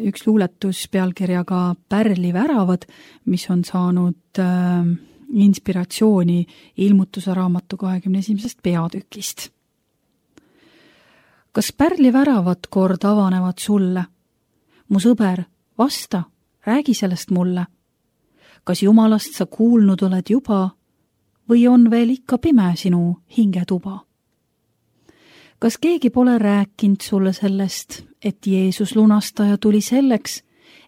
üks luuletus pealkirjaga Pärliväravad, mis on saanud inspiratsiooni Ilmutuse raamatu 21. peatükist. Kas pärliväravad kord avanevad sulle? Mu sõber, vasta, räägi sellest mulle. Kas Jumalast sa kuulnud oled juba või on veel ikka pime sinu hingetuba? Kas keegi pole rääkinud sulle sellest, et Jeesus lunastaja tuli selleks,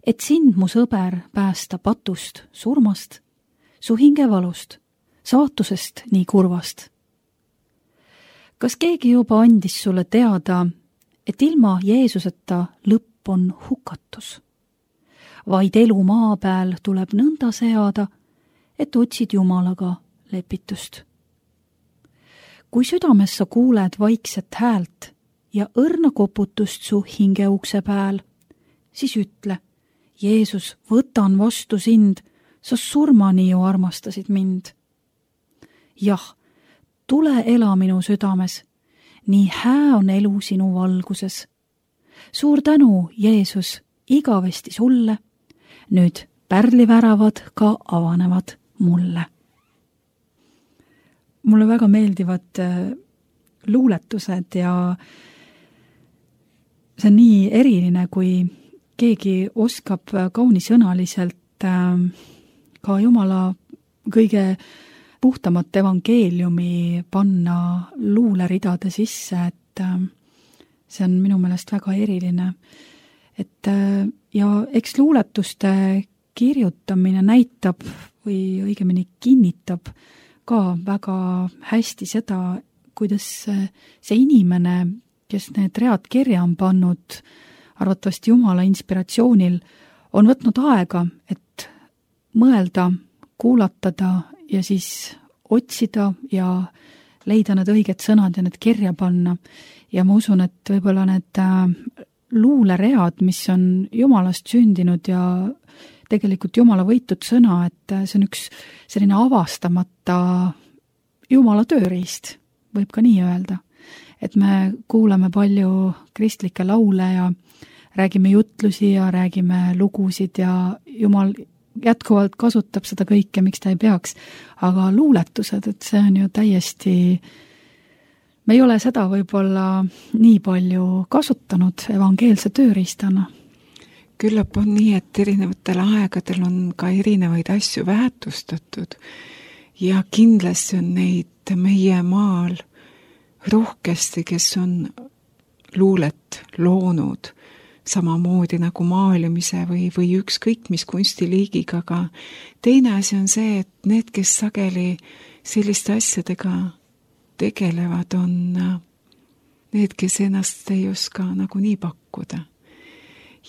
et sind, mu sõber, päästa patust, surmast, su hingevalust, saatusest nii kurvast? Kas keegi juba andis sulle teada, et ilma Jeesuseta lõpp on hukatus? Vaid elu maa peal tuleb nõnda seada, et otsid Jumalaga lepitust. Kui südames sa kuuled vaikset häält ja õrna koputust su hingeukse pääl, siis ütle, Jeesus, võtan vastu sind, sa surmani ju armastasid mind. Jah, tule ela minu südames, nii hää on elu sinu valguses. Suur tänu, Jeesus, igavesti sulle, nüüd pärliväravad ka avanevad mulle. Mulle väga meeldivad luuletused ja see on nii eriline, kui keegi oskab kaunisõnaliselt ka Jumala kõige puhtamat evangeeliumi panna luuleridade sisse, et see on minu meelest väga eriline. Ja eks luuletuste kirjutamine näitab või õigemini kinnitab ka väga hästi seda, kuidas see inimene, kes need read kirja on pannud, arvatavasti Jumala inspiratsioonil, on võtnud aega, et mõelda, kuulatada ja siis otsida ja leida need õiged sõnad ja need kirja panna. Ja ma usun, et võib-olla need luuleread, mis on Jumalast sündinud ja tegelikult Jumala võitud sõna, et see on üks selline avastamata Jumala tööriist, võib ka nii öelda. Et me kuulame palju kristlikke laule ja räägime jutlusi ja räägime lugusid ja Jumal jätkuvalt kasutab seda kõike, miks ta ei peaks. Aga luuletused, et see on ju täiesti, me ei ole seda võib-olla nii palju kasutanud evangeelse tööriistana. Küllap on nii, et erinevatel aegadel on ka erinevaid asju väärtustatud ja kindlasti on neid meie maal rohkesti, kes on luulet loonud samamoodi nagu maalimise või ükskõik mis kunstiliigiga, aga teine asi on see, et need, kes sageli selliste asjadega tegelevad, on need, kes ennast ei oska nagu nii pakkuda.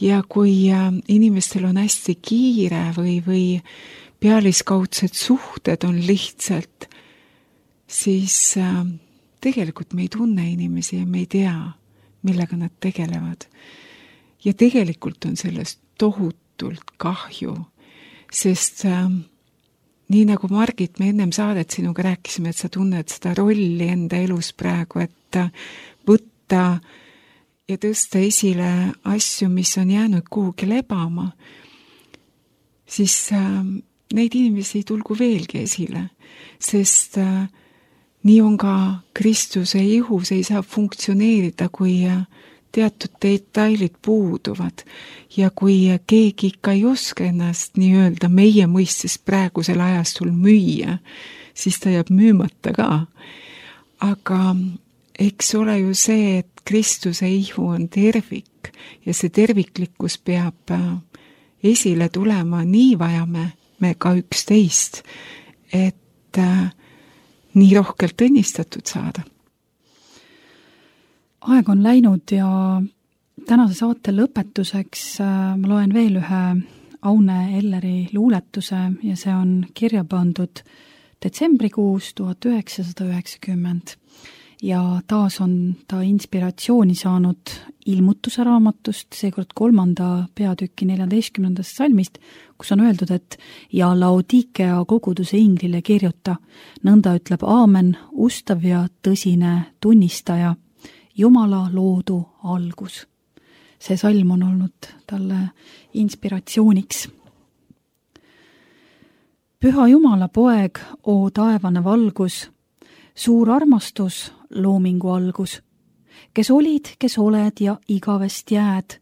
Ja kui inimestel on hästi kiire või pealiskaudsed suhted on lihtsalt, siis tegelikult me ei tunne inimesi ja me ei tea, millega nad tegelevad. Ja tegelikult on sellest tohutult kahju, sest nii nagu Margit, me ennem saadet sinuga rääkisime, et sa tunned seda rolli enda elus praegu, et võtta ja tõsta esile asju, mis on jäänud kuhugi lebama, siis neid inimesi tulgu veelgi esile, sest nii on ka Kristuse ihus ei saa funktsioneerida, kui teatud detailid puuduvad ja kui keegi ikka ei oska ennast nii-öelda meie mõistes praegusel ajastul müüa, siis ta jääb müümata ka. Aga eks ole ju see, et Kristuse ihu on tervik ja see terviklikkus peab esile tulema, nii vajame me ka üksteist, et nii rohkelt õnnistatud saada. Aeg on läinud ja tänase saate lõpetuseks ma loen veel ühe Aune Elleri luuletuse ja see on kirja pandud detsembrikuus 1990 ja taas on ta inspiratsiooni saanud ilmutuse raamatust, seekord 3. peatüki 14. salmist, kus on öeldud, et ja Laodikea koguduse inglile kirjuta, nõnda ütleb aamen, ustav ja tõsine tunnistaja, Jumala loodu algus. See salm on olnud talle inspiratsiooniks. Püha Jumala poeg, o taevane valgus, suur armastus, loomingu algus, kes olid, kes oled ja igavest jääd,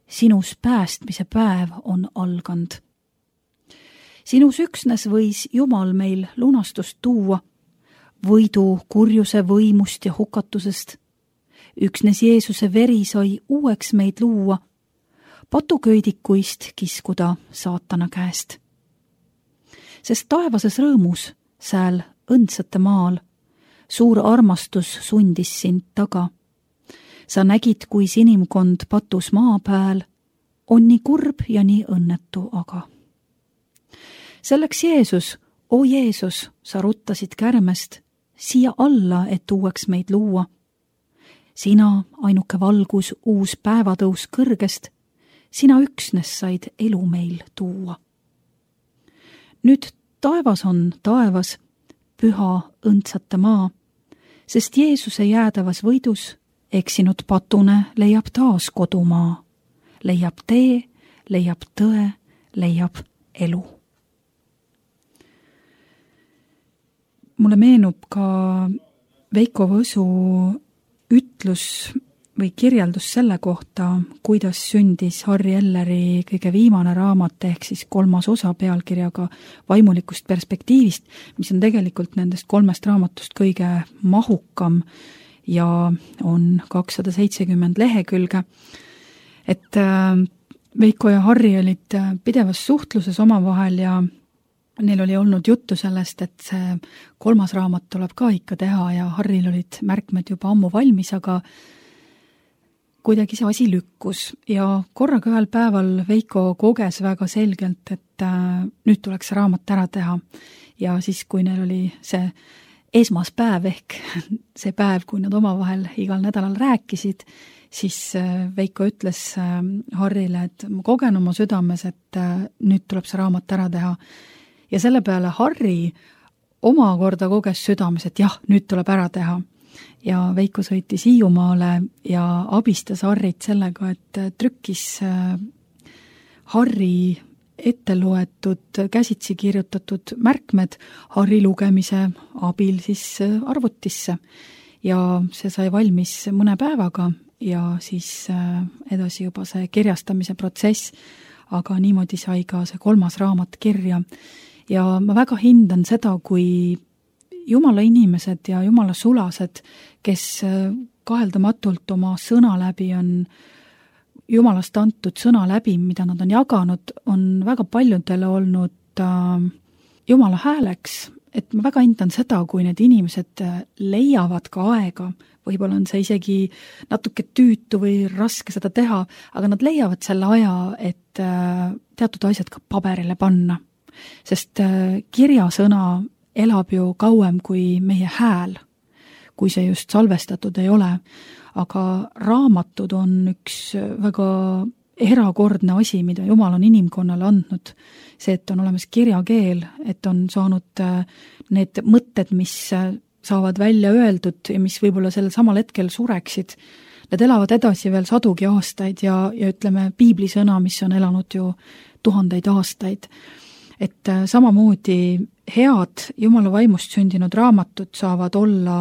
sinus päästmise päev on algand. Sinus üksnes võis Jumal meil lunastust tuua, võidu kurjuse võimust ja hukatusest. Üksnes Jeesuse veri sai uueks meid luua, patuköidikuist kiskuda saatana käest. Sest taevases rõõmus, sääl õndsate maal, suur armastus sundis sind taga. Sa nägid, kui inimkond patus maa pääl, on nii kurb ja nii õnnetu aga. Selleks Jeesus, o Jeesus, sa ruttasid kärmest, siia alla, et uueks meid luua. Sina, ainuke valgus, uus päevatõus kõrgest, sina üksnes said elu meil tuua. Nüüd taevas on taevas, püha õndsate maa, sest Jeesuse jäädavas võidus eksinud patune leiab taas kodumaa, leiab tee, leiab tõe, leiab elu. Mulle meenub ka Veiko Võsu ütlus või kirjeldus selle kohta, kuidas sündis Harri Elleri kõige viimane raamat ehk siis 3. osa pealkirjaga Vaimulikust perspektiivist, mis on tegelikult nendest 3 raamatust kõige mahukam ja on 270 lehekülge. Et Veiko ja Harri olid pidevas suhtluses omavahel ja neil oli olnud juttu sellest, et see 3. raamat tuleb ka ikka teha ja Harril olid märkmed juba ammu valmis, aga kuidagi see asi lükkus ja korraga ühel päeval Veiko koges väga selgelt, et nüüd tuleks see raamat ära teha. Ja siis, kui neil oli see esmaspäev ehk see päev, kui nad omavahel igal nädalal rääkisid, siis Veiko ütles Harrile, et ma kogen oma südames, et nüüd tuleb see raamat ära teha. Ja selle peale Harri omakorda koges südames, et jah, nüüd tuleb ära teha. Ja Veiko sõitis Hiiumaale ja abistas Harrit sellega, et trükkis Harri ette loetud, käsitsi kirjutatud märkmed Harri lugemise abil siis arvutisse. Ja see sai valmis mõne päevaga ja siis edasi juba see kirjastamise protsess, aga niimoodi sai ka see 3. raamat kirja. Ja ma väga hindan seda, kui Jumala inimesed ja Jumala sulased, kes kaheldamatult oma sõna läbi on Jumalast antud sõna läbi, mida nad on jaganud, on väga paljudele olnud Jumala hääleks. Et ma väga hindan seda, kui need inimesed leiavad ka aega, võib-olla on see isegi natuke tüütu või raske seda teha, aga nad leiavad selle aja, et teatud asjad ka paberile panna. Sest kirjasõna elab ju kauem kui meie hääl, kui see just salvestatud ei ole. Aga raamatud on üks väga erakordne asi, mida Jumal on inimkonnale andnud. See, et on olemas kirjakeel, et on saanud need mõtted, mis saavad välja öeldud ja mis võib-olla sellel samal hetkel sureksid. Need elavad edasi veel sadugi aastaid ja ütleme piiblisõna, mis on elanud ju 1000 aastaid. Et samamoodi head Jumala vaimust sündinud raamatud saavad olla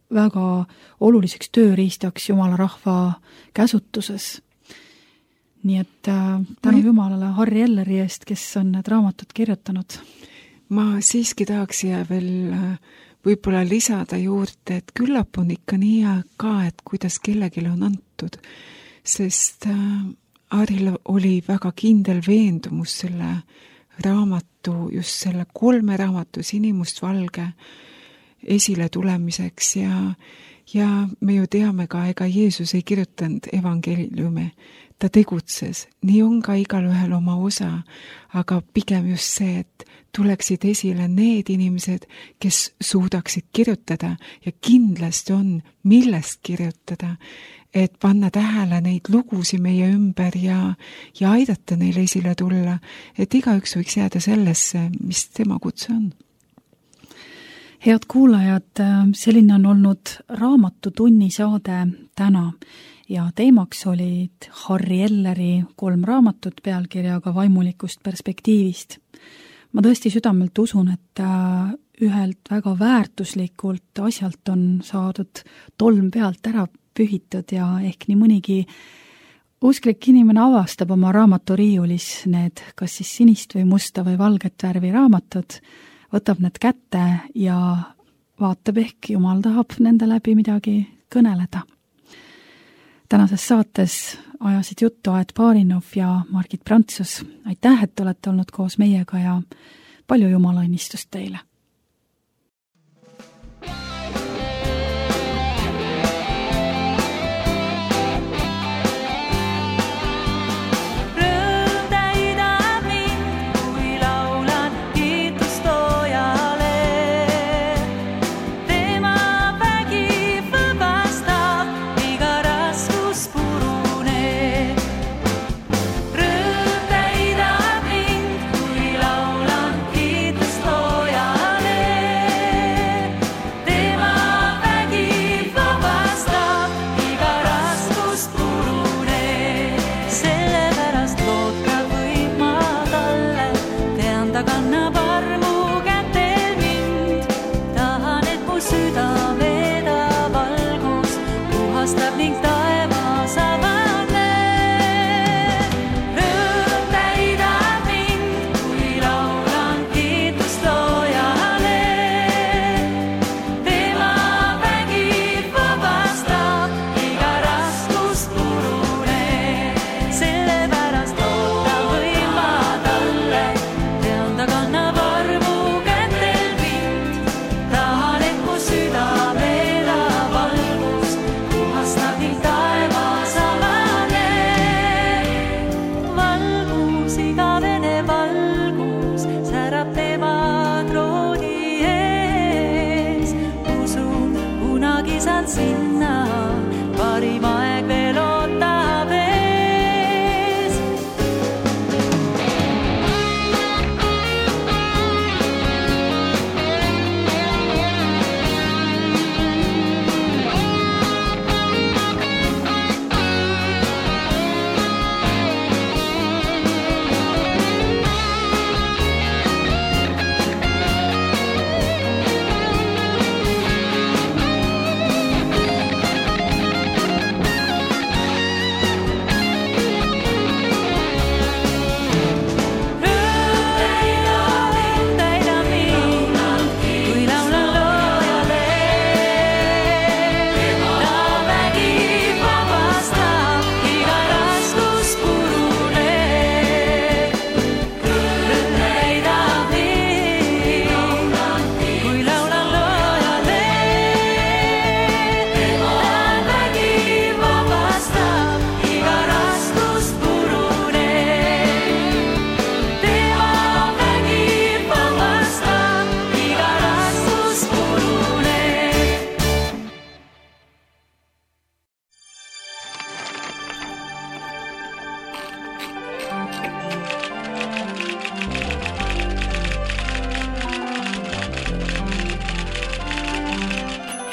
väga oluliseks tööriistaks Jumala rahva käsutuses. Nii et tänu Jumalale Harri Elleri eest, kes on need raamatud kirjutanud. Ma siiski tahaks siia veel võib-olla lisada juurde, et küllap on ikka nii ka, et kuidas kellelgi on antud, sest Harril oli väga kindel veendumus selle raamatu, just selle 3 raamatu sinimustvalge esile tulemiseks ja me ju teame ka, ega Jeesus ei kirjutanud evangeeliume ta tegutses, nii on ka igalühel oma osa, aga pigem just see, et tuleksid esile need inimesed, kes suudaksid kirjutada ja kindlasti on, millest kirjutada, et panna tähele neid lugusid meie ümber ja aidata neile esile tulla, et igaüks võiks jääda sellesse, mis tema kutse on. Head kuulajad, selline on olnud Raamatutunni saade täna ja teemaks olid Harri Elleri 3 raamatut pealkirjaga Vaimulikust perspektiivist. Ma tõesti südamelt usun, et ühelt väga väärtuslikult asjalt on saadud tolm pealt ära pühitud ja ehk nii mõnigi usklik inimene avastab oma raamaturiiulis need kas siis sinist või musta või valget värvi raamatud, võtab need kätte ja vaatab, ehk Jumal tahab nende läbi midagi kõneleda. Tänases saates ajasid juttu Aet Baarinov ja Margit Prantsus. Aitäh, et olete olnud koos meiega ja palju Jumala õnnistust teile!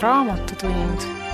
Raamatutund